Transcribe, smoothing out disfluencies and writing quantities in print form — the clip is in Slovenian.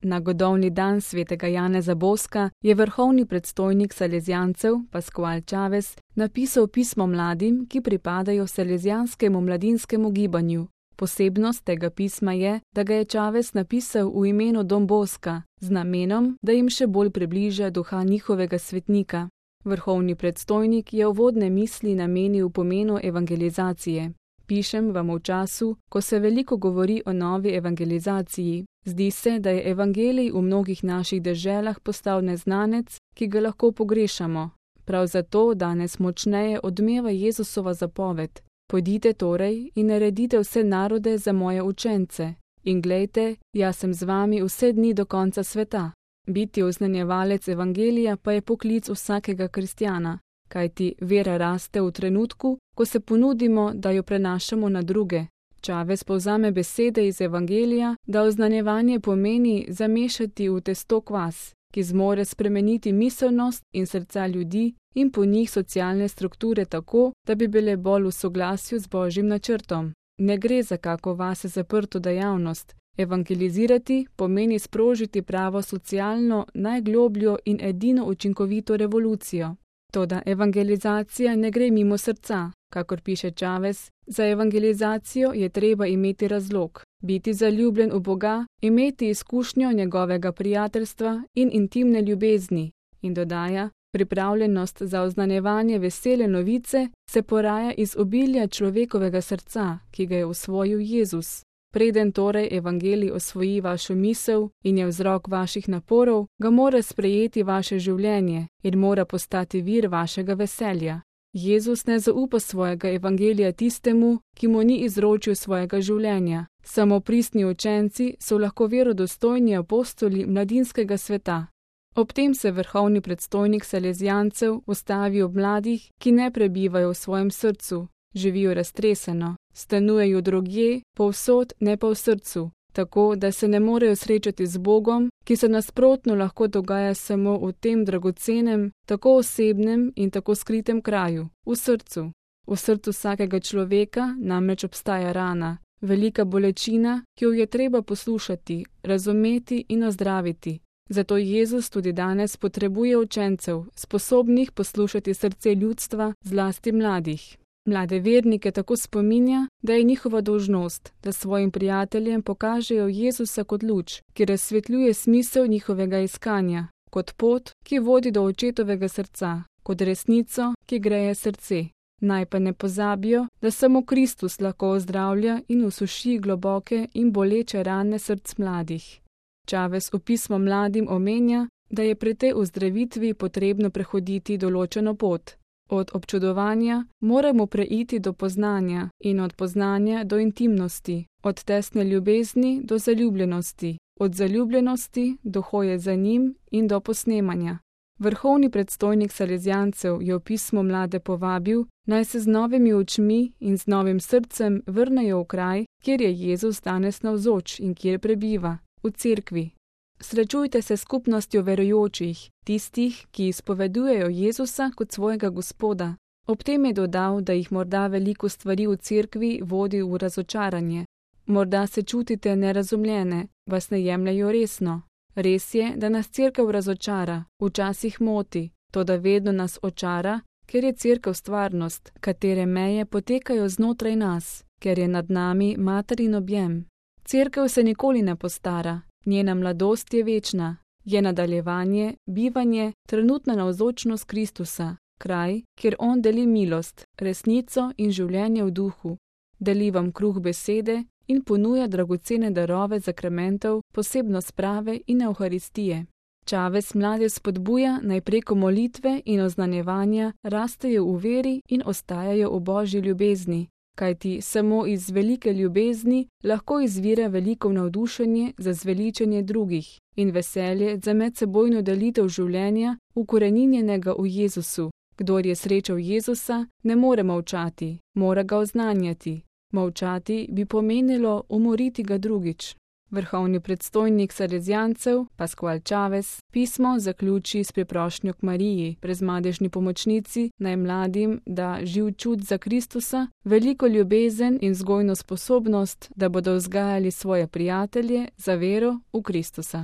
Na godovni dan svetega Janeza Boska je vrhovni predstojnik salezijancev Pascual Chaves napisal pismo mladim, ki pripadajo salezijanskemu mladinskemu gibanju. Posebnost tega pisma je, da ga je Chaves napisal v imenu Don Boska, z namenom, da jim še bolj približa duha njihovega svetnika. Vrhovni predstojnik je uvodne misli namenil pomenu evangelizacije. Pišem vam v času, ko se veliko govori o novi evangelizaciji. Zdi se, da je evangelij v mnogih naših deželah postal neznanec, ki ga lahko pogrešamo. Prav zato danes močneje odmeva Jezusova zapoved. Pojdite torej in naredite vse narode za moje učence. In glejte, jaz sem z vami vse dni do konca sveta. Biti oznanjevalec evangelija pa je poklic vsakega kristjana, kajti vera raste v trenutku, ko se ponudimo, da jo prenašamo na druge. Chaves povzame besede iz evangelija, da oznanjevanje pomeni zamešati v testo kvas, ki zmore spremeniti miselnost in srca ljudi in po njih socialne strukture tako, da bi bile bolj v soglasju z Božjim načrtom. Ne gre za kako vase zaprto dejavnost. Evangelizirati pomeni sprožiti pravo socialno, najglobljo in edino učinkovito revolucijo. Toda evangelizacija ne gre mimo srca, kakor piše Chaves. Za evangelizacijo je treba imeti razlog, biti zaljubljen v Boga, imeti izkušnjo njegovega prijateljstva in intimne ljubezni. In dodaja, pripravljenost za oznanjevanje vesele novice se poraja iz obilja človekovega srca, ki ga je osvojil Jezus. Preden torej evangelij osvoji vašo misel in je vzrok vaših naporov, ga mora sprejeti vaše življenje in mora postati vir vašega veselja. Jezus ne zaupa svojega evangelija tistemu, ki mu ni izročil svojega življenja. Samo pristni učenci so lahko verodostojni apostoli mladinskega sveta. Ob tem se vrhovni predstojnik salezijancev ustavi ob mladih, ki ne prebivajo v svojem srcu, živijo raztreseno, stanujejo drugje, povsod, ne pa v srcu, tako da se ne morejo srečati z Bogom, ki se nasprotno lahko dogaja samo v tem dragocenem, tako osebnem in tako skritem kraju, v srcu. V srcu vsakega človeka namreč obstaja rana, velika bolečina, ki jo je treba poslušati, razumeti in ozdraviti. Zato Jezus tudi danes potrebuje učencev, sposobnih poslušati srce ljudstva, zlasti mladih. Mlade vernike tako spominja, da je njihova dolžnost, da svojim prijateljem pokažejo Jezusa kot luč, ki razsvetljuje smisel njihovega iskanja, kot pot, ki vodi do očetovega srca, kot resnico, ki greje srce. Naj pa ne pozabijo, da samo Kristus lahko ozdravlja in usuši globoke in boleče rane src mladih. Chaves v pismu mladim omenja, da je pri tej ozdravitvi potrebno prehoditi določeno pot. Od občudovanja moramo preiti do poznanja in od poznanja do intimnosti, od tesne ljubezni do zaljubljenosti, od zaljubljenosti do hoje za njim in do posnemanja. Vrhovni predstojnik salezijancev je v pismu mlade povabil, naj se z novimi očmi in z novim srcem vrnejo v kraj, kjer je Jezus danes navzoč in kjer prebiva, v cerkvi. Srečujte se s skupnostjo verujočih, tistih, ki izpovedujejo Jezusa kot svojega Gospoda. Ob tem je dodal, da jih morda veliko stvari v cerkvi vodi v razočaranje. Morda se čutite nerazumljene, vas ne jemljejo resno. Res je, da nas cerkev razočara, včasih moti, toda vedno nas očara, ker je cerkev stvarnost, katere meje potekajo znotraj nas, ker je nad nami materin objem. Cerkev se nikoli ne postara. Njena mladost je večna, je nadaljevanje, bivanje, trenutna navzočnost Kristusa, kraj, kjer on deli milost, resnico in življenje v duhu, deli vam kruh besede in ponuja dragocene darove zakramentov, posebno sprave in evharistije. Chaves mlade spodbuja naj preko molitve in oznanjevanja rastejo v veri in ostajajo v Božji ljubezni, kajti samo iz velike ljubezni lahko izvira veliko navdušenje za zveličenje drugih in veselje za medsebojno delitev življenja, ukoreninjenega v Jezusu. Kdor je srečal Jezusa, ne more molčati, mora ga oznanjati. Molčati bi pomenilo umoriti ga drugič. Vrhovni predstojnik salezijancev, Pascual Chaves, pismo zaključi s priprošnjo k Mariji, prezmadežni pomočnici, naj mladim da živ čut za Kristusa, veliko ljubezen in vzgojno sposobnost, da bodo vzgajali svoje prijatelje za vero v Kristusa.